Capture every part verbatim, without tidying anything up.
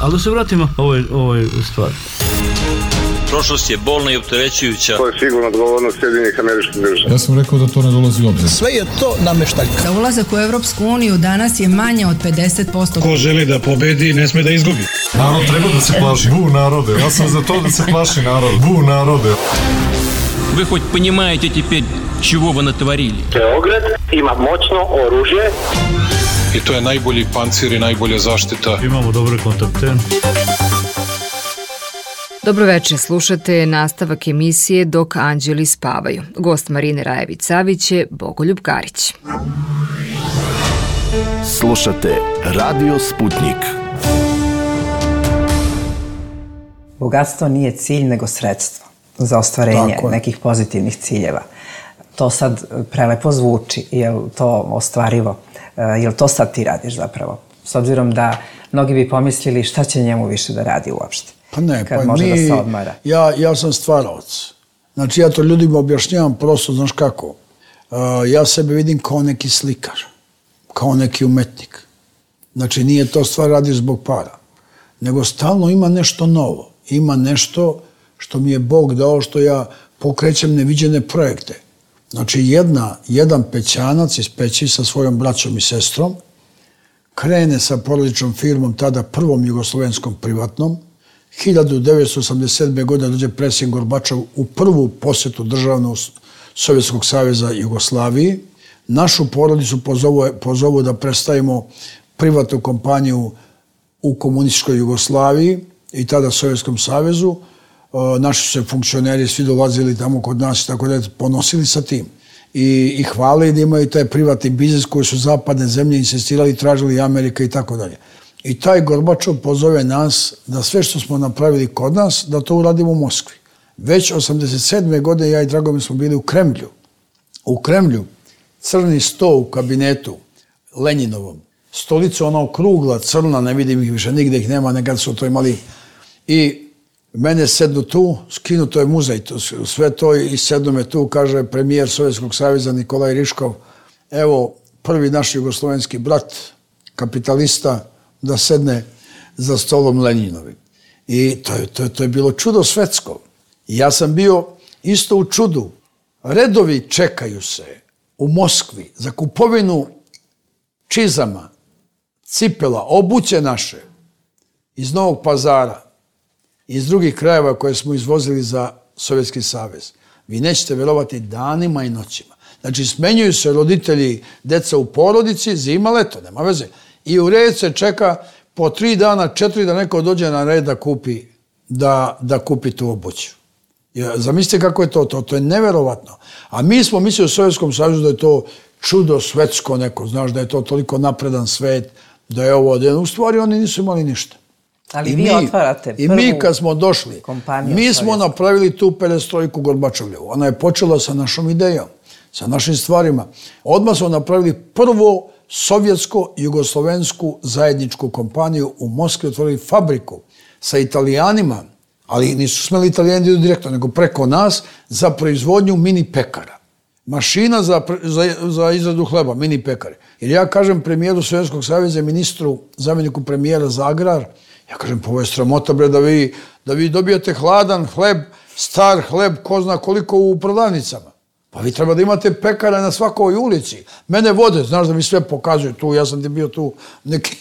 Ali da se vratimo ovoj, ovoj stvari. Prošlost je bolna i opterećujuća. To je sigurno odgovornost Sjedinjenih Američkih Država. Ja sam rekao da to ne dolazi u obzir. Sve je to nameštaljka. Za ulazak u Evropsku uniju danas je manje od pedeset posto. Ko želi da pobedi, ne sme da izgubi. Narod treba da se plaši. Bu narode. Ja sam za to da se plaši narod. Bu narode. Вы хоть понимаете теперь, чего вы натворили? Beograd ima moćno oružje. I to je najbolji pancir i najbolja zaštita. Imamo dobre kontakte. Dobroveče, slušate nastavak emisije Dok anđeli spavaju. Gost Marine Rajević-Savić je Bogoljub Karić. Slušate Radio Sputnik. Bogatstvo nije cilj, nego sredstvo za ostvarenje nekih pozitivnih ciljeva. To sad prelepo zvuči, je li to ostvarivo? Je li to sad ti radiš zapravo? S obzirom da mnogi bi pomislili šta će njemu više da radi uopšte. Pa ne, kad pa može mi, da se odmara. Ja, ja sam stvaraoc. Znači ja to ljudima objašnjavam prosto, znaš kako. Uh, ja sebe vidim kao neki slikar, kao neki umetnik. Znači nije to stvar radiš zbog para, nego stalno ima nešto novo. Ima nešto što mi je Bog dao, što ja pokrećem neviđene projekte. Znači jedna, jedan pećanac iz Peći sa svojom braćom i sestrom krene sa porodičnom firmom, tada prvom jugoslovenskom privatnom. hiljadu devetsto osamdeset sedme. godine dođe predsjednik Gorbačov u prvu posjetu državnog Sovjetskog saveza Jugoslaviji. Našu porodicu pozovu, pozovu da predstavimo privatnu kompaniju u komunističkoj Jugoslaviji i tada Sovjetskom savezu. Naši su se funkcioneri svi dolazili tamo kod nas i tako da ponosili sa tim. I, i hvali da imaju taj privatni biznis koji su zapadne zemlje insistirali, tražili Amerika i tako dalje. I taj Gorbačov pozove nas da sve što smo napravili kod nas, da to uradimo u Moskvi. Već osamdeset sedme. godine ja i Dragomir smo bili u Kremlju. U Kremlju crni sto u kabinetu Lenjinovom. Stolica ona okrugla, crna, ne vidim ih više, nigde ih nema, nekad su to imali. I mene sednu tu, skinu, to je muzej, to, sve to i sednu me tu, kaže premijer Sovjetskog saveza Nikolaj Riškov, evo prvi naš jugoslovenski brat, kapitalista, da sedne za stolom Lenjinovim. I to je, to je, to je bilo čudo svetsko. I ja sam bio isto u čudu. Redovi čekaju se u Moskvi za kupovinu čizama, cipela, obuće naše iz Novog Pazara, iz drugih krajeva koje smo izvozili za Sovjetski savez. Vi nećete vjerovati danima i noćima. Znači, smenjuju se roditelji, deca u porodici, zima, leto, nema veze. I u red se čeka po tri dana, četiri da neko dođe na red da kupi, da, da kupi tu obuću. Zamislite kako je to, to, to je neverovatno. A mi smo mislili u Sovjetskom savezu da je to čudo svetsko neko, znaš, da je to toliko napredan svet, da je ovo, da je, u stvari oni nisu imali ništa. Ali I vi mi, otvarate prvu I mi kad smo došli, mi smo napravili tu perestrojku Gorbačovljevu. Ona je počela sa našom idejom, sa našim stvarima. Odmah smo napravili prvo sovjetsko-jugoslovensku zajedničku kompaniju u Moskvi, otvorili fabriku sa Italijanima, ali nisu smeli Italijani da idu direktno, nego preko nas, za proizvodnju mini pekara. Mašina za, za, za izradu hleba, mini pekare. Jer ja kažem premijeru Sovjetskog saveza, ministru, zamjeniku premijera za agrar, ja kažem, pa ovo je sramota, bre, da vi, da vi dobijete hladan hleb, star hleb, ko zna koliko u prodavnicama. Pa vi treba da imate pekara na svakoj ulici. Mene vode, znaš da mi sve pokazuju tu, ja sam ti bio tu neki,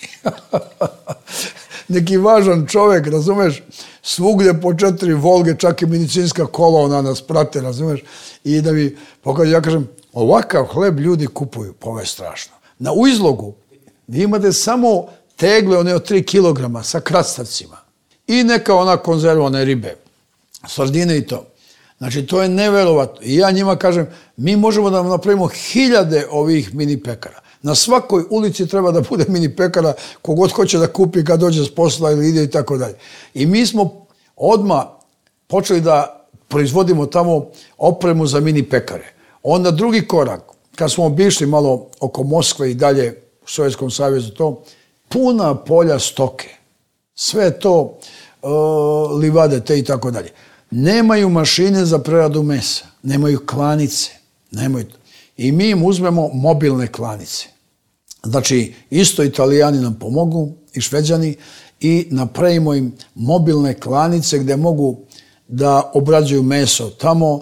neki važan čovjek, razumeš? Svugdje po četiri Volge, čak i medicinska kola, ona nas prate, razumeš? I da mi pokazuju, ja kažem, ovakav hleb ljudi kupuju, pa ovo je strašno. Na u izlogu vi imate samo tegle, one od tri kilograma sa krastavcima. I neka ona konzervone ribe, sardine i to. Znači, to je neverovatno. I ja njima kažem, mi možemo da napravimo hiljade ovih mini pekara. Na svakoj ulici treba da bude mini pekara, kogod hoće da kupi kad dođe s posla ili ide i tako dalje. I mi smo odmah počeli da proizvodimo tamo opremu za mini pekare. Onda drugi korak, kad smo obišli malo oko Moskve i dalje u Sovjetskom savezu, to puna polja stoke. Sve to uh, livade te i tako dalje. Nemaju mašine za preradu mesa, nemaju klanice, nemaju to. I mi im uzmemo mobilne klanice. Znači, isto Italijani nam pomogu i Šveđani i napravimo im mobilne klanice gde mogu da obrađuju meso. Tamo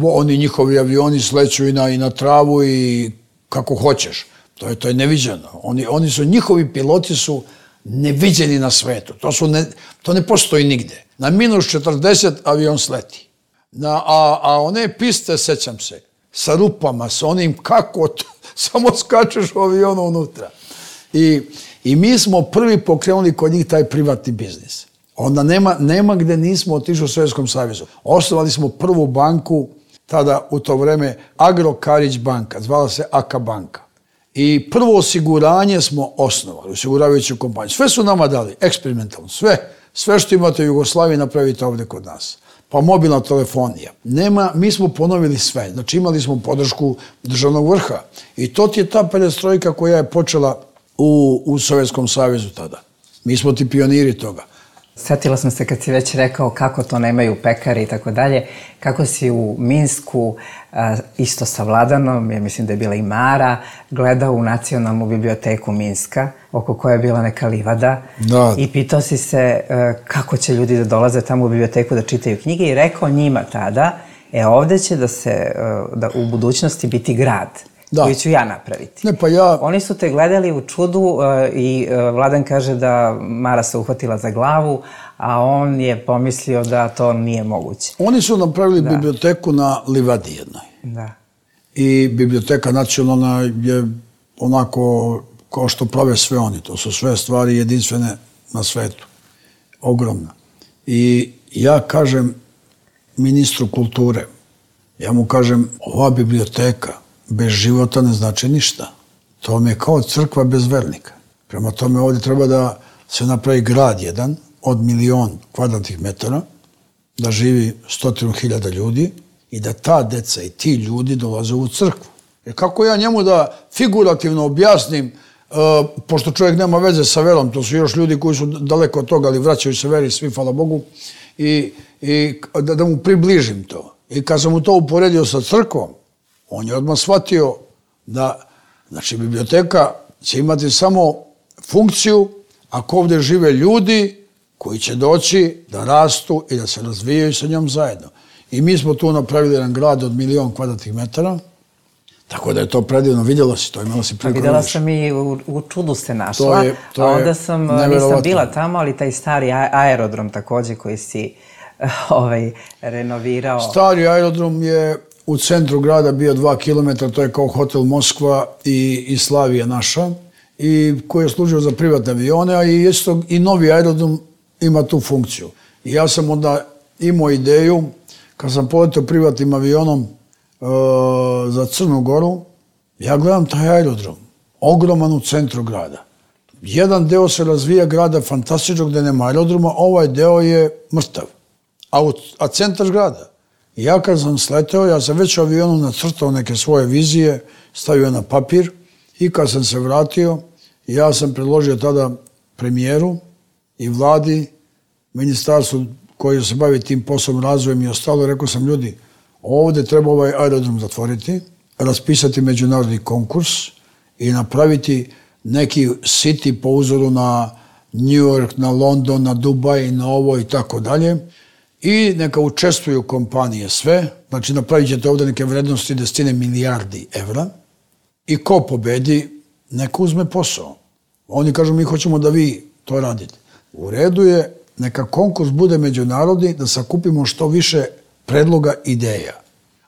oni njihovi avioni sleću i na, i na travu i kako hoćeš. To je, to je neviđeno. Oni, oni su, njihovi piloti su neviđeni na svetu. To, su ne, to ne postoji nigde. Na minus četrdeset avion sleti. Na, a, a one piste, sećam se, sa rupama, sa onim kako to, samo skačeš u avionu unutra. I, I mi smo prvi pokrenuli kod njih taj privatni biznis. Onda nema, nema gde nismo otišli u Sovjetskom savezu. Osnovali smo prvu banku, tada u to vreme Agro Karić banka, zvala se A K A banka. I prvo osiguranje smo osnovali, osiguravajuću kompaniju. Sve su nama dali, eksperimentalno, sve. Sve što imate u Jugoslaviji napravite ovde kod nas. Pa mobilna telefonija. Nema, mi smo ponovili sve. Znači imali smo podršku državnog vrha. I to ti je ta perestrojka koja je počela u, u Sovjetskom savezu tada. Mi smo ti pioniri toga. Sjetila sam se kad si već rekao kako to nemaju pekari i tako dalje, kako si u Minsku isto sa Vladanom, ja mislim da je bila i Mara, gledao u Nacionalnu biblioteku Minska, oko koje je bila neka livada, da. I pitao si se kako će ljudi da dolaze tamo u biblioteku da čitaju knjige i rekao njima tada, e ovde će da se, da u budućnosti biti grad. Da. Koji ću ja napraviti. Ne, pa ja... Oni su te gledali u čudu uh, i uh, Vladan kaže da Mara se uhvatila za glavu, a on je pomislio da to nije moguće. Oni su napravili da. biblioteku na livadi jednoj. Da. I biblioteka nacionalna je onako kao što prave sve oni. To su sve stvari jedinstvene na svetu. Ogromna. I ja kažem ministru kulture, ja mu kažem, ova biblioteka bez života ne znači ništa. To mi je kao crkva bez vernika. Prema tome ovdje treba da se napravi grad jedan od milion kvadratnih metara, da živi stotinu hiljada ljudi i da ta deca i ti ljudi dolaze u crkvu. Jer kako ja njemu da figurativno objasnim, uh, pošto čovjek nema veze sa verom, to su još ljudi koji su daleko od toga, ali vraćaju se veri svi, hvala Bogu, i, i da, da mu približim to. I kad sam mu to uporedio sa crkvom, on je odmah shvatio da, znači, biblioteka će imati samo funkciju ako ovdje žive ljudi koji će doći da rastu i da se razvijaju sa njom zajedno. I mi smo tu napravili jedan grad od milion kvadratnih metara, tako da je to predivno. Vidjela si to, imala si priliku. Vidjela sam i u, u čudu se našla, to je, to a onda sam, nisam bila tamo, ali taj stari aerodrom također koji si ovaj, renovirao. Stari aerodrom je u centru grada bio dva kilometra, to je kao hotel Moskva i, i Slavija naša, i koji je služio za privatne avione, a i, isto, i novi aerodrom ima tu funkciju. I ja sam onda imao ideju, kad sam poletio privatnim avionom uh, za Crnu Goru, ja gledam taj aerodrom, ogroman u centru grada. Jedan deo se razvija grada fantastičnog gde nema aerodroma, ovaj deo je mrtav, a, u, a centar grada. I ja kad sam sleteo, ja sam već u avionu nacrtao neke svoje vizije, stavio na papir i kad sam se vratio, ja sam predložio tada premijeru i vladi, ministarstvu koji se bavi tim poslom, razvojem i ostalo, rekao sam, ljudi, ovdje treba ovaj aerodrom zatvoriti, raspisati međunarodni konkurs i napraviti neki city po uzoru na New York, na London, na Dubaj, na ovo i tako dalje. I neka učestvuju kompanije sve, znači napravit ćete ovdje neke vrednosti desetine milijardi evra i ko pobedi, neka uzme posao. Oni kažu, mi hoćemo da vi to radite. U redu je, neka konkurs bude međunarodni, da sakupimo što više predloga ideja.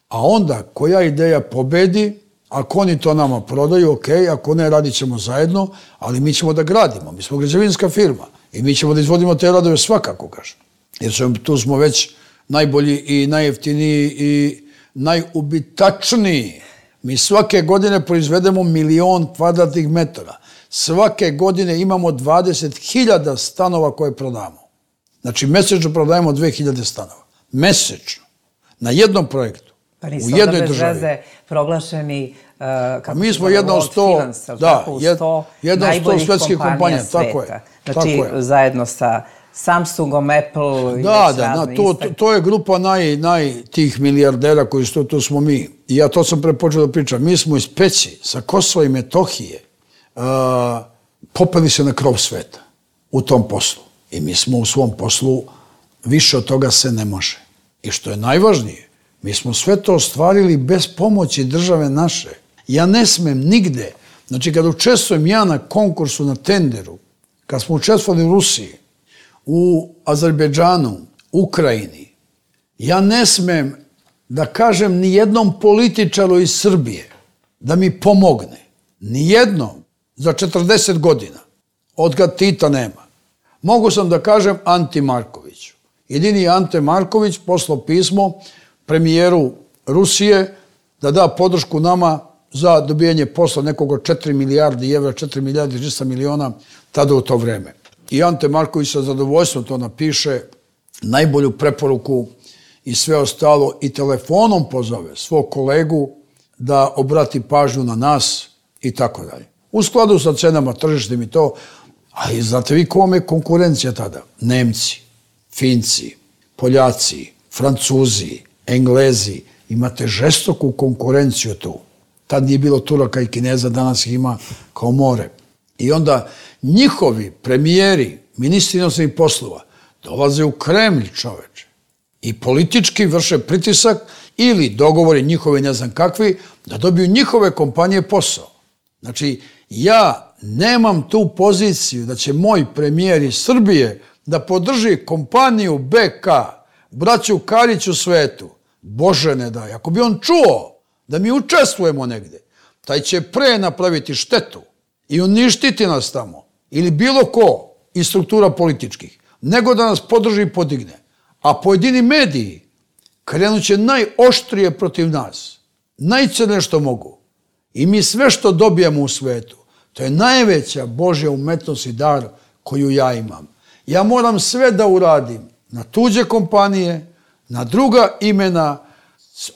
A onda, koja ideja pobedi, ako oni to nama prodaju, ok, ako ne, radit ćemo zajedno, ali mi ćemo da gradimo. Mi smo građevinska firma i mi ćemo da izvodimo te radove svakako, kažem. Jer tu smo već najbolji i najjeftiniji i najubitačniji. Mi svake godine proizvedemo milion kvadratnih metara. Svake godine imamo dvadeset hiljada stanova koje prodamo. Znači, mesečno prodajemo dve hiljade stanova. Mesečno. Na jednom projektu. Pa nisu onda bez veze proglašeni uh, mi smo jedna od sto, da, jedna od sto svetskih kompanija. Tako je. Znači, zajedno sa Samsungom, Apple i da, da, da, to, to, to je grupa naj, naj tih milijardera koji su, to smo mi. I ja to sam prepočeo da pričam. Mi smo iz Peći, sa Kosova i Metohije, uh, popeli se na krov sveta u tom poslu. I mi smo u svom poslu, više od toga se ne može. I što je najvažnije, mi smo sve to ostvarili bez pomoći države naše. Ja ne smem nigde, znači kad učestvujem ja na konkursu, na tenderu, kad smo učestvovali u Rusiji, u Azerbejdžanu, Ukrajini, ja ne smem da kažem ni jednom političaru iz Srbije da mi pomogne. Ni jednom za četrdeset godina. Od kad Tita nema. Mogu sam da kažem Anti Markoviću. Jedini je Ante Marković poslao pismo premijeru Rusije da da podršku nama za dobijanje posla nekog od četiri milijardi evra, četiri milijardi trista miliona tada u to vreme. I Ante Marković sa zadovoljstvom to napiše, najbolju preporuku i sve ostalo, i telefonom pozove svog kolegu da obrati pažnju na nas i tako dalje. U skladu sa cenama tržištem i to, ali znate vi kome je konkurencija tada? Nemci, Finci, Poljaci, Francuzi, Englezi, imate žestoku konkurenciju tu. Tad nije bilo Turaka i Kineza, danas ih ima kao more. I onda njihovi premijeri, ministri inostranih poslova, dolaze u Kremlj, čoveče, i politički vrše pritisak ili dogovori njihovi ne znam kakvi, da dobiju njihove kompanije posao. Znači, ja nemam tu poziciju da će moj premijer iz Srbije da podrži kompaniju B K, braću Karić u svetu. Bože ne daj, ako bi on čuo da mi učestvujemo negde, taj će pre napraviti štetu i uništiti nas tamo, ili bilo ko iz struktura političkih, nego da nas podrži i podigne. A pojedini mediji krenut će najoštrije protiv nas, najcrnije što mogu. I mi sve što dobijamo u svetu, to je najveća Božja umetnost i dar koju ja imam. Ja moram sve da uradim na tuđe kompanije, na druga imena,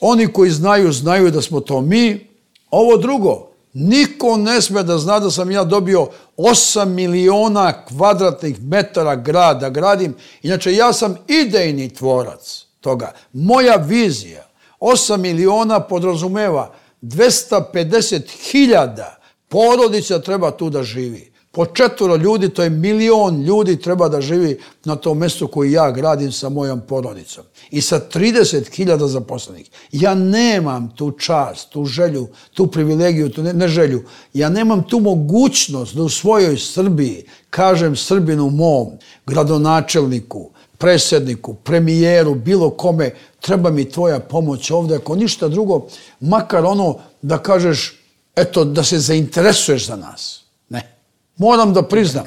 oni koji znaju, znaju da smo to mi. Ovo drugo, niko ne sme da zna da sam ja dobio osam miliona kvadratnih metara grada gradim. Inače, ja sam idejni tvorac toga. Moja vizija, osam miliona podrazumeva dvesta pedeset hiljada porodica treba tu da živi. Po četvoro ljudi, to je milion ljudi treba da živi na tom mjestu koji ja gradim sa mojom porodicom. I sa trideset hiljada zaposlenih. Ja nemam tu čast, tu želju, tu privilegiju, tu ne, ne želju. Ja nemam tu mogućnost da u svojoj Srbiji kažem Srbinu mom, gradonačelniku, predsjedniku, premijeru, bilo kome, treba mi tvoja pomoć ovdje. Ako ništa drugo, makar ono da kažeš, eto, da se zainteresuješ za nas. Ne. Moram da priznam,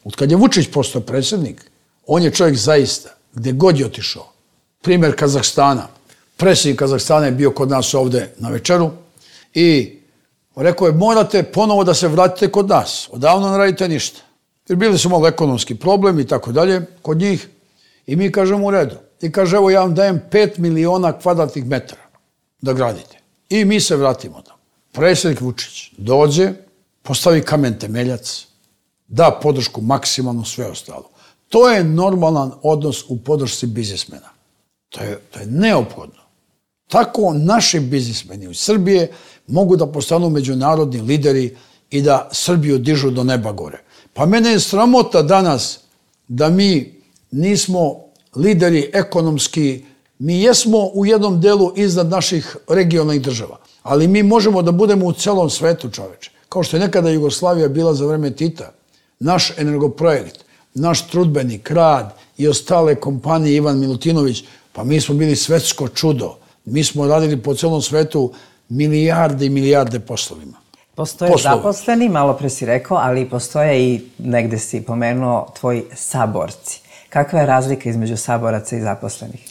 od kad je Vučić postao predsjednik, on je čovjek zaista, gdje god je otišao. Primjer Kazahstana. Predsjednik Kazahstana je bio kod nas ovdje na večeru i rekao je, morate ponovo da se vratite kod nas. Odavno ne radite ništa. Jer bili su malo ekonomski problem i tako dalje kod njih. I mi kažemo u redu. I kaže, evo ja vam dajem pet miliona kvadratnih metara da gradite. I mi se vratimo tamo. Predsjednik Vučić dođe, postavi kamen temeljac, da podršku maksimalno, sve ostalo. To je normalan odnos u podršci biznismena. To je, to je neophodno. Tako naši biznismeni u Srbije mogu da postanu međunarodni lideri i da Srbiju dižu do neba gore. Pa mene je sramota danas da mi nismo lideri ekonomski, mi jesmo u jednom delu iznad naših regionalnih država, ali mi možemo da budemo u celom svetu, čoveče. Kao što je nekada Jugoslavija bila za vreme Tita, naš energoprojekt, naš trudbenik, rad i ostale kompanije, Ivan Milutinović, pa mi smo bili svetsko čudo. Mi smo radili po celom svetu milijarde i milijarde poslovima. Postoje zaposleni, malo pre si rekao, ali postoje i, negde si pomenuo, tvoji saborci. Kakva je razlika između saboraca i zaposlenih?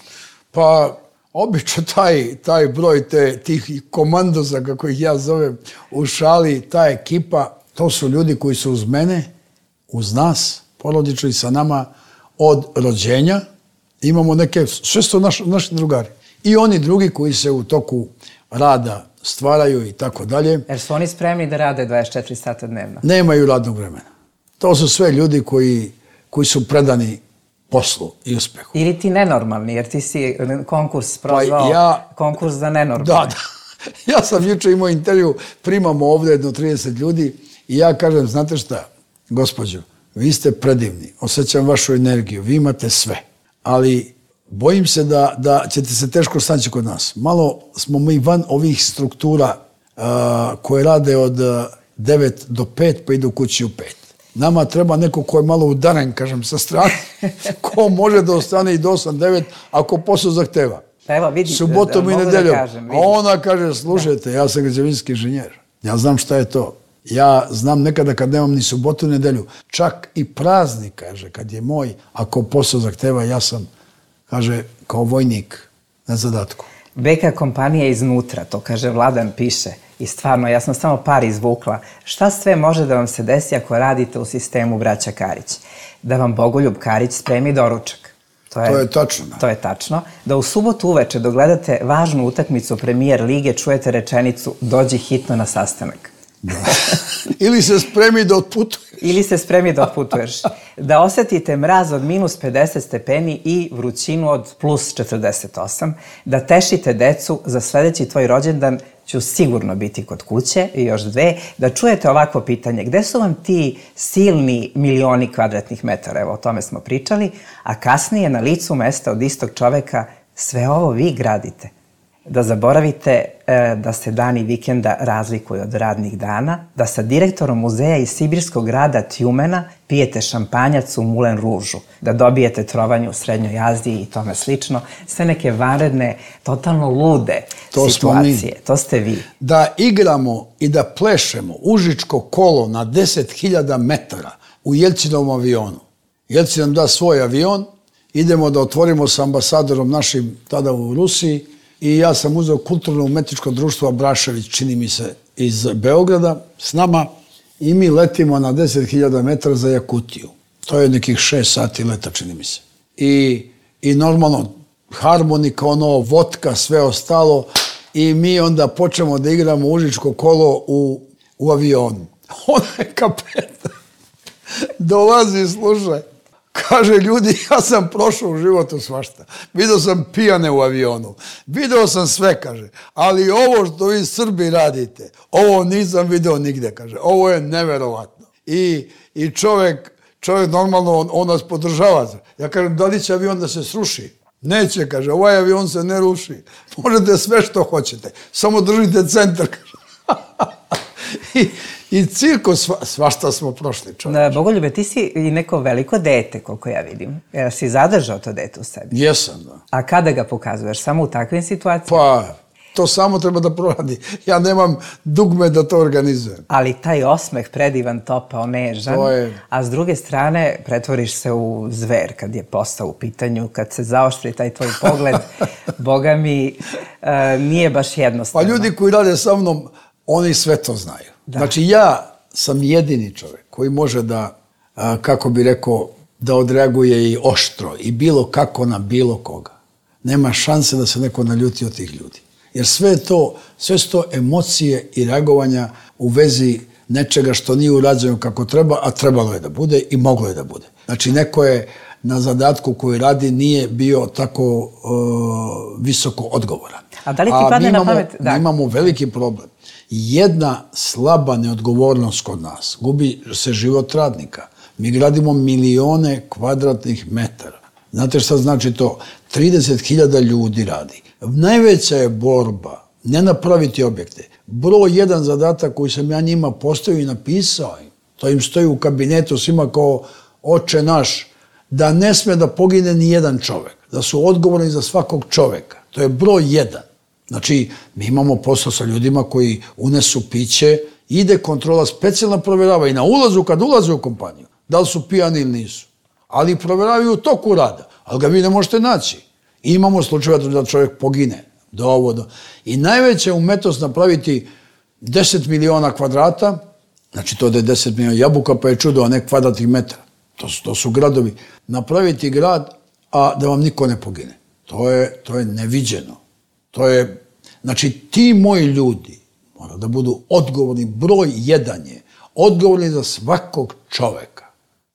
Pa, obično taj, taj broj te, tih komandoza, kako ih ja zovem, u šali, ta ekipa, to su ljudi koji su uz mene, uz nas, porodično i sa nama, od rođenja. Imamo neke, sve su naš, naši drugari. I oni drugi koji se u toku rada stvaraju i tako dalje. Jer su oni spremni da rade dvadeset četiri sata dnevno? Nemaju radnog vremena. To su sve ljudi koji, koji su predani poslu i uspehu. Ili ti nenormalni, jer ti si konkurs prozvao, pa ja, konkurs za nenormalni. Da, da. Ja sam juče imao intervju, primamo ovdje jedno trideset ljudi I ja kažem, znate šta, gospođo, vi ste predivni, osjećam vašu energiju, vi imate sve, ali bojim se da, da ćete se teško snaći kod nas. Malo smo mi van ovih struktura uh, koje rade od devet do pet pa idu kući u pet. Nama treba neko ko je malo udaren, kažem, sa strane, ko može da ostane i do osam devet ako posao zahteva. Pa evo, vidi, subotom da, i nedeljom. Da kažem, a ona kaže, slušajte, da. Ja sam građevinski inženjer. Ja znam šta je to. Ja znam nekada kad nemam ni subotu ni nedelju. Čak i praznik, kaže, kad je moj, ako posao zahteva, ja sam, kaže, kao vojnik na zadatku. B K kompanija iznutra, to kaže Vladan piše. I stvarno, ja sam samo par izvukla. Šta sve može da vam se desi ako radite u sistemu braća Karić? Da vam Bogoljub Karić spremi doručak. To je, to je tačno. To je tačno. Da u subotu uveče dok gledate važnu utakmicu Premijer lige čujete rečenicu dođi hitno na sastanak. Da. Ili se spremi da otputuješ. Ili se spremi da otputuješ. Da osetite mraz od minus pedeset stepeni i vrućinu od plus četrdeset osam. Da tešite decu za sledeći tvoj rođendan ću sigurno biti kod kuće i još dve. Da čujete ovakvo pitanje. Gde su vam ti silni milioni kvadratnih metara? Evo, o tome smo pričali. A kasnije na licu mesta od istog čoveka sve ovo vi gradite. Da zaboravite e, da se dani vikenda razlikuju od radnih dana, da sa direktorom muzeja iz sibirskog grada Tjumena pijete šampanjac u Mulen Ružu, da dobijete trovanje u Srednjoj Aziji i tome slično. Sve neke vanredne, totalno lude to situacije. To ste vi. Da igramo i da plešemo Užičko kolo na deset hiljada metara u Jelcinovom avionu. Jelcin nam da svoj avion, idemo da otvorimo sa ambasadorom našim tada u Rusiji. I ja sam uzeo kulturno-umetničko društvo Abrašević, čini mi se, iz Beograda s nama i mi letimo na deset hiljada metara za Jakutiju. To je nekih šest sati leta, čini mi se. I, i normalno harmonika, ono, vodka, sve ostalo i mi onda počnemo da igramo Užičko kolo u, u avionu. Ona je kapetan. Dolazi, slušaj. Kaže, ljudi, ja sam prošao u životu svašta. Video sam pijane u avionu. Video sam sve, kaže. Ali ovo što vi Srbi radite, ovo nisam video nigde, kaže. Ovo je neverovatno. I, i čovjek, čovjek normalno, on, on nas podržava. Ja kažem, da li će avion da se sruši? Neće, kaže, ovaj avion se ne ruši. Možete sve što hoćete. Samo držite centar, kaže. I, I cirko, sva, svašta smo prošli, čovječe. Bogoljube, ti si i neko veliko dete, koliko ja vidim. Jel si zadržao to dete u sebi? Jesam, da. A kada ga pokazuješ? Samo u takvim situacijama? Pa, to samo treba da proradi. Ja nemam dugme da to organizujem. Ali taj osmeh predivan, topao, nežan, je... a s druge strane pretvoriš se u zver kad je posao u pitanju, kad se zaoštri taj tvoj pogled, boga mi, uh, nije baš jednostavno. Pa ljudi koji rade sa mnom, oni sve to znaju. Da. Znači, ja sam jedini čovjek koji može da, a, kako bi rekao, da odreaguje i oštro i bilo kako na bilo koga. Nema šanse da se neko naljuti od tih ljudi. Jer sve to, sve su to emocije i reagovanja u vezi nečega što nije urađeno kako treba, a trebalo je da bude i moglo je da bude. Znači, neko je na zadatku koji radi nije bio tako uh, visoko odgovoran. A da li ti padne na pamet? Da. Mi imamo veliki problem. Jedna slaba neodgovornost kod nas. Gubi se život radnika. Mi gradimo milione kvadratnih metara. Znate šta znači to? trideset hiljada ljudi radi. Najveća je borba ne napraviti objekte. Broj jedan zadatak koji sam ja njima postavio i napisao im. To im stoji u kabinetu svima kao oče naš. Da ne sme da pogine ni jedan čovjek. Da su odgovorni za svakog čovjeka. To je broj jedan. Znači, mi imamo posao sa ljudima koji unesu piće, ide kontrola specijalna provjerava i na ulazu kad ulaze u kompaniju, da li su pijani ili nisu. Ali provjeravaju u toku rada, ali ga vi ne možete naći. I imamo slučajeva da čovjek pogine. Do ovo, do... I najveća umetnost napraviti deset miliona kvadrata, znači to da je deset miliona jabuka, pa je čudo, a ne kvadratnih metara. To su, to su gradovi. Napraviti grad, a da vam niko ne pogine. To je, to je neviđeno. To je, znači, ti moji ljudi mora da budu odgovorni, broj jedan je, odgovorni za svakog čoveka.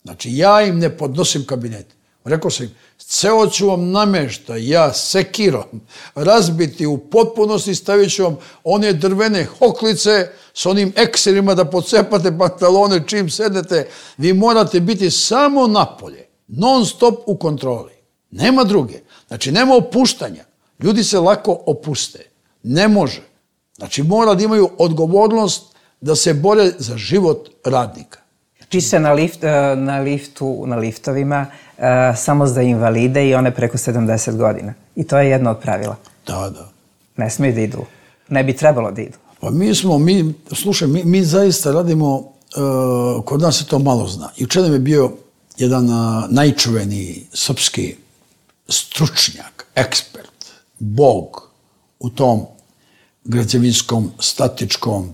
Znači, ja im ne podnosim kabinet. Rekao sam im, ceo ću vam namešta, ja sekirom, razbiti u potpunosti, stavit ću vam one drvene hoklice s onim ekserima da pocepate pantalone čim sednete. Vi morate biti samo napolje, non stop u kontroli. Nema druge. Znači, nema opuštanja. Ljudi se lako opuste. Ne može. Znači, mora da imaju odgovornost da se bore za život radnika. Piše na, lift, na liftu, na liftovima, uh, samo za invalide i one preko sedamdeset godina. I to je jedno od pravila. Da, da. Ne smiju da idu. Ne bi trebalo da idu. Pa mi smo, mi, slušaj, mi, mi zaista radimo, uh, kod nas se to malo zna. Jučer nam je bio jedan uh, najčuveniji srpski stručnjak, ekspert, bog u tom građevinskom, statičkom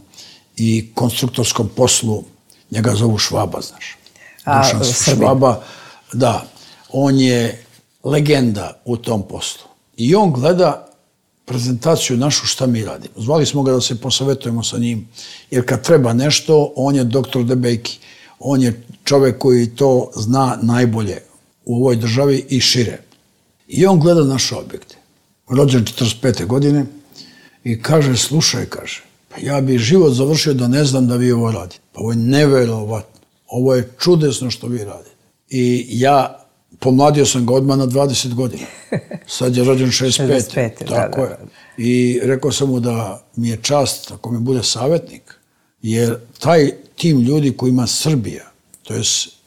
i konstruktorskom poslu. Njega zovu Švaba, znaš. A, Švaba, da. On je legenda u tom poslu. I on gleda prezentaciju našu šta mi radimo. Zvali smo ga da se posavetujemo sa njim, jer kad treba nešto, on je doktor Debejki. On je čovek koji to zna najbolje u ovoj državi i šire. I on gleda naše objekte. Rođen četrdeset pete godine i kaže, slušaj, kaže, pa ja bi život završio da ne znam da vi ovo radite. Pa ovo je neverovatno. Ovo je čudesno što vi radite. I ja pomladio sam ga odmah na dvadeset godina. Sad je rođen šezdeset pete. Tako je. I rekao sam mu da mi je čast ako mi bude savjetnik, jer taj tim ljudi koji ima Srbija, to je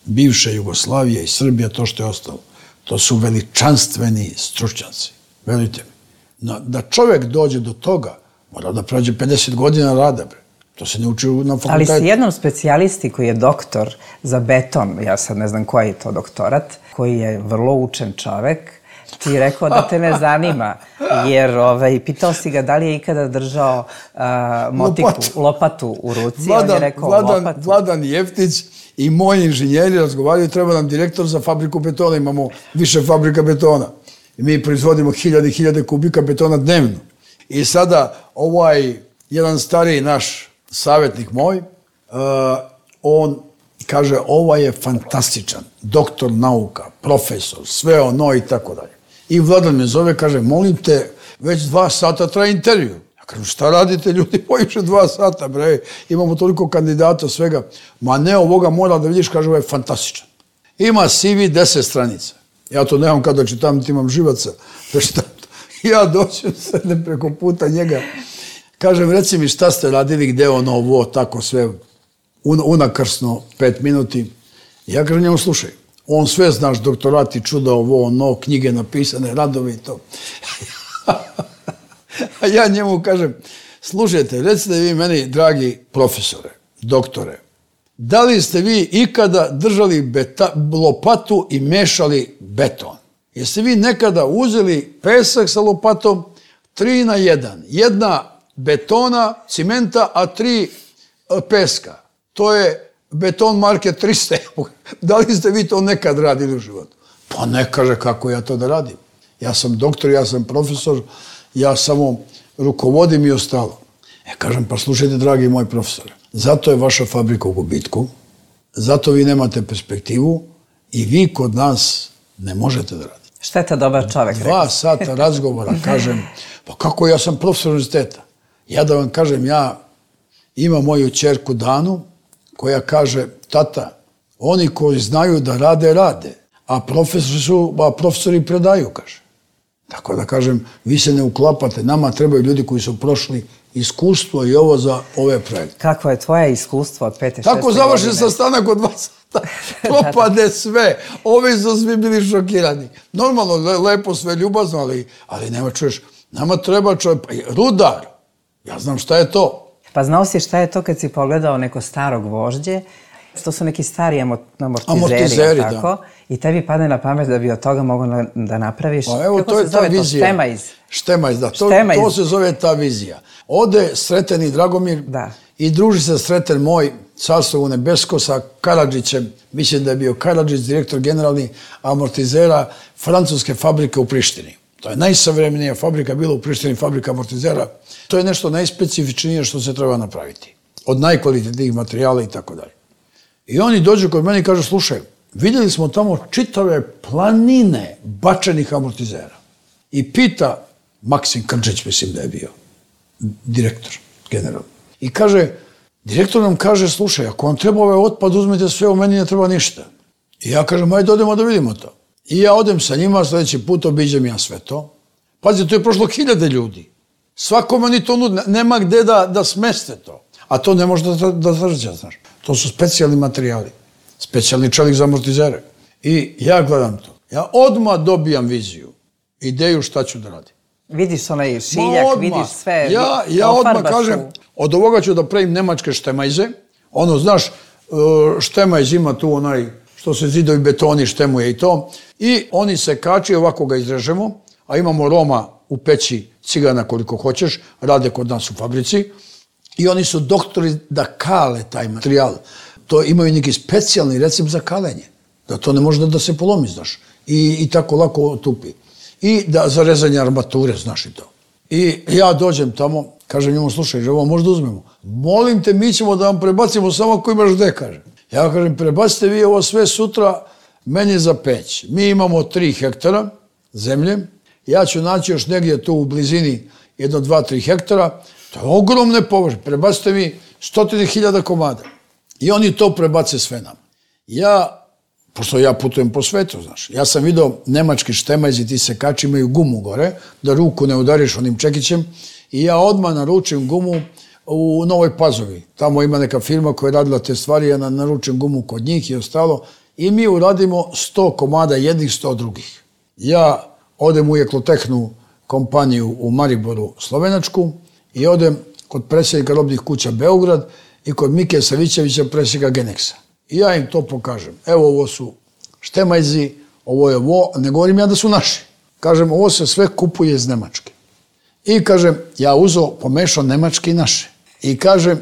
bivša Jugoslavija i Srbija, to što je ostalo, to su veličanstveni stručnjaci. Verujte mi. Da čovjek dođe do toga, mora da prođe pedeset godina rada, bre. To se ne uči na fakultetu. Ali si jednom specijalisti koji je doktor za beton, ja sad ne znam koji je to doktorat, koji je vrlo učen čovek, ti je rekao da te ne zanima, jer ovaj, pitao si ga da li je ikada držao uh, motiku, lopatu. lopatu u ruci. Vladan, on je rekao Vladan, lopatu. Vladan Jeftić i moji inženjeri razgovaraju, treba nam direktor za fabriku betona, imamo više fabrika betona. I mi proizvodimo hiljade i hiljade kubika betona dnevno. I sada ovaj jedan stariji naš savjetnik moj, uh, on kaže, ovaj je fantastičan, doktor nauka, profesor, sve ono i tako dalje. I Vladan me zove, kaže, molim te, već dva sata traje intervju. Ja kažem, šta radite ljudi, pojiše dva sata, bre, imamo toliko kandidata, svega. Ma ne, ovoga mora da vidiš, kaže, ovo je fantastičan. Ima C V deset stranica. Ja to nemam kada čitam, ti imam živaca. Ja doćem, sedem preko puta njega. Kažem, reci mi šta ste radili, gde ono, ovo, tako sve, unakrsno, pet minuti. Ja kažem njemu, slušaj, on sve znaš, doktorati, čuda, ovo, ono, knjige napisane, radovi i to. A ja njemu kažem, slušajte, recite vi meni, dragi profesore, doktore, da li ste vi ikada držali beta, lopatu i mešali beton? Jeste vi nekada uzeli pesak sa lopatom, tri na jedan, jedna betona, cimenta, a tri peska. To je beton marke trista. Da li ste vi to nekad radili u životu? Pa ne, kaže, kako ja to da radim. Ja sam doktor, ja sam profesor, ja samo rukovodim i ostalo. E, kažem, pa slušajte, dragi moji profesore, zato je vaša fabrika u gubitku, zato vi nemate perspektivu i vi kod nas ne možete da radite. Šta je to dobar čovek? Dva sata razgovora, kažem, pa kako ja sam profesor univerziteta? Ja da vam kažem, ja imam moju ćerku Danu, koja kaže, tata, oni koji znaju da rade, rade, a profesori, su, a profesori predaju, kaže. Tako da kažem, vi se ne uklapate, nama trebaju ljudi koji su prošli iskustvo i ovo za ove projekte. Kako je tvoje iskustvo od pete, šeste godine? Tako završi sastanak od dva sata, propade sve, ovi su svi bili šokirani. Normalno, lepo, sve ljubazno, ali, ali nema, čuješ, nama treba čovjek, rudar, ja znam šta je to. Pa znao si šta je to kad si pogledao neko starog vožđe, što su neki stari amortizeri, amortizeri tako? Da. I tebi padne na pamet da bi od toga mogao da napraviš. Pa evo, kako to je se ta zove vizija. To? Štemajz. Štemajz, da. To, Štemajz. To se zove ta vizija. Ode Sreten i Dragomir da. I druži se Sreten moj, carstvo nebesko, sa Karadžićem. Mislim da je bio Karadžić, direktor generalni amortizera francuske fabrike u Prištini. To je najsavremenija fabrika bila u Prištini, fabrika amortizera. To je nešto najspecifičnije što se treba napraviti. Od najkvalitetnijih materijala i tako dalje. I oni dođu kod mene i kažu, slušaj, vidjeli smo tamo čitave planine bačenih amortizera. I pita Maksim Krđeć, mislim da je bio direktor, general. I kaže, direktor nam kaže, slušaj, ako vam treba ovaj otpad, uzmite sve, u meni ne treba ništa. I ja kažem, ajde odemo da vidimo to. I ja odem sa njima, sljedeći put obiđem ja sve to. Pazi, to je prošlo hiljade ljudi. Svakome oni to nude, nema gde da, da smeste to. A to ne može da, da zrđa, znaš. To su specijalni materijali. Specijalni čelik za amortizere. I ja gledam to. Ja odmah dobijam viziju, ideju šta ću da radim. Vidiš onaj šiljak, vidiš sve. Ja, ja odmah kažem, od ovoga ću da pravim nemačke štemajze. Ono, znaš, štemajz ima tu onaj, što se zidovi betoni štemuje i to. I oni se kači, ovako ga izrežemo, a imamo Roma u peći, cigana koliko hoćeš, rade kod nas u fabrici. I oni su doktori da kale taj materijal. To imaju neki specijalni recept za kalenje. Da to ne može da se polomi, znaš. I, i tako lako tupi. I da za rezanje armature, znaš i to. I ja dođem tamo, kažem njemu, slušaj, ovo možda uzmemo. Molim te, mi ćemo da vam prebacimo samo ako imaš gde, kaže. Ja kažem, prebacite vi ovo sve sutra meni za peć. Mi imamo tri hektara zemlje. Ja ću naći još negdje tu u blizini jedno, dva, tri hektara. To je ogromne površine. Prebacite mi stotine hiljada komada. I oni to prebace sve nam. Ja, pošto ja putujem po svetu, znaš, ja sam vidio nemački štemajzi, ti sekači imaju gumu gore, da ruku ne udariš onim čekićem. I ja odmah naručim gumu u Novoj Pazovi. Tamo ima neka firma koja je radila te stvari, ja naručim gumu kod njih i ostalo. I mi uradimo sto komada jednih, sto drugih. Ja odem u Eklotehnu kompaniju u Mariboru, Slovenačku, i odem kod predsjednika robnih kuća Beograd i kod Mike Savićevića, predsjednika Genexa. I ja im to pokažem. Evo, ovo su štemajzi, ovo je ovo, ne govorim ja da su naši. Kažem, ovo se sve kupuje iz Nemačke. I kažem, ja uzeo, pomešao nemačke i naše. I kažem,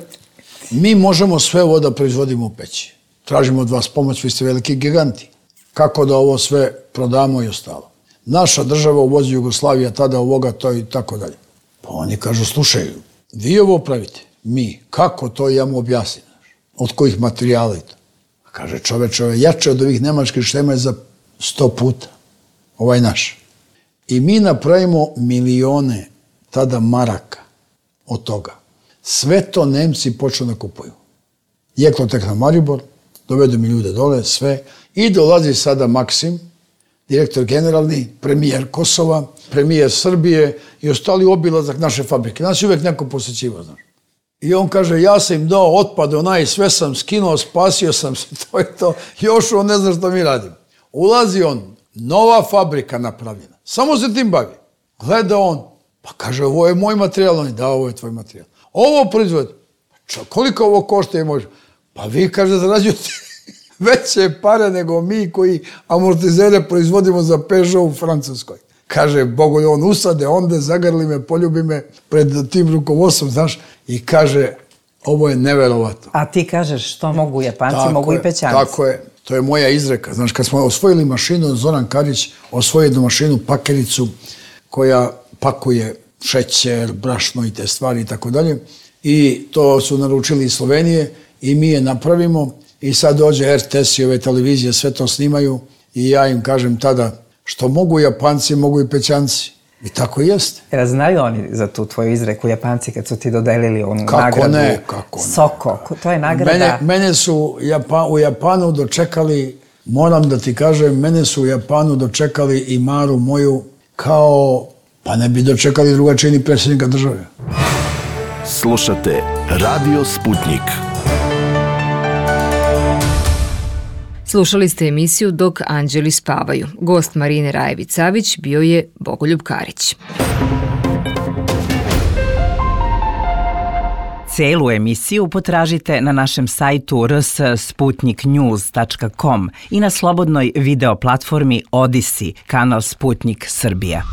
mi možemo sve ovo da proizvodimo u peći. Tražimo od vas pomoć, vi ste veliki giganti. Kako da ovo sve prodamo i ostalo. Naša država uvozi Jugoslavija, tada ovoga, to i tako dalje. Pa oni kažu, slušaj, vi ovo pravite, mi, kako to ja mu objasnim, od kojih materijala i to. Kaže, čoveče, ovo je jače od ovih nemačkih štemajza za sto puta, ovaj naš. I mi napravimo milione tada maraka od toga. Sve to Nemci počnu da kupuju. Eklotehna Maribor, dovedu mi ljude dole, sve. I dolazi sada Maksim, direktor generalni, premijer Kosova, premijer Srbije i ostali obilazak naše fabrike. Nas je uvijek neko posjećivo, znaš. I on kaže, ja sam im dao otpad, onaj, sve sam skinuo, spasio sam se, to je to. Još on ne zna što mi radimo. Ulazi on, nova fabrika napravljena. Samo se tim bavi. Gleda on, pa kaže, ovo je moj materijal. On je, da, ovo je tvoj materijal. Ovo proizvod, koliko ovo košta i može? Pa vi, kaže, zarađujete veće pare nego mi koji amortizere proizvodimo za Peugeot u Francuskoj. Kaže, Bogo je on usade, onda zagrli me, poljubi me pred tim rukovodstvom, znaš, i kaže, ovo je neverovatno. A ti kažeš, što mogu Japanci, tako mogu je, i Pećanci. Tako je, to je moja izreka. Znaš, kad smo osvojili mašinu, Zoran Karić osvojio jednu mašinu, pakericu, koja pakuje šećer, brašno i te stvari i tako dalje. I to su naručili iz Slovenije i mi je napravimo. I sad dođe er te es i ove televizije, sve to snimaju i ja im kažem tada, što mogu Japanci, mogu i Pećanci. I tako jeste. Jer znaju oni za tu tvoju izreku, Japanci, kad su ti dodelili onu kako nagradu? Ne, kako ne. Soko, to je nagrada. Mene, mene su Japan, u Japanu dočekali, moram da ti kažem, mene su u Japanu dočekali i Maru moju kao, pa ne bi dočekali drugačije ni predsjednika države. Slušate Radio Sputnik. Slušali ste emisiju Dok anđeli spavaju. Gost Marine Rajević-Savić bio je Bogoljub Karić. Celu emisiju potražite na našem sajtu r s sputnik news tačka com i na slobodnoj video platformi Odisi, kanal Sputnik Srbija.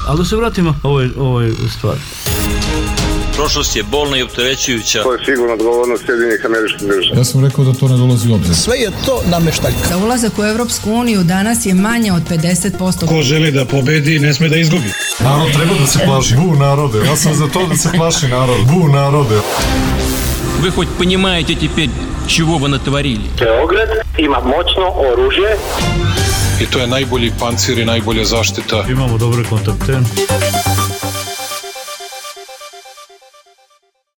Ali da se vratimo ovoj, ovoj stvari. Prošlost je bolna i opterećujuća. To je sigurno odgovornost Sjedinjenih Američkih Država. Ja sam rekao da to ne dolazi u obzir. Sve je to nameštaljka. Za ulazak u Evropsku uniju danas je manje od pedeset posto. Ko želi da pobedi, ne sme da izgubi. Narod treba da se plaši. Bu narode. Ja sam za to da se plaši narod. Bu narode. Вы хоть понимаете теперь, чего вы натворили. Beograd ima moćno oružje. I to je najbolji pancir i najbolja zaštita. Imamo dobre kontakte.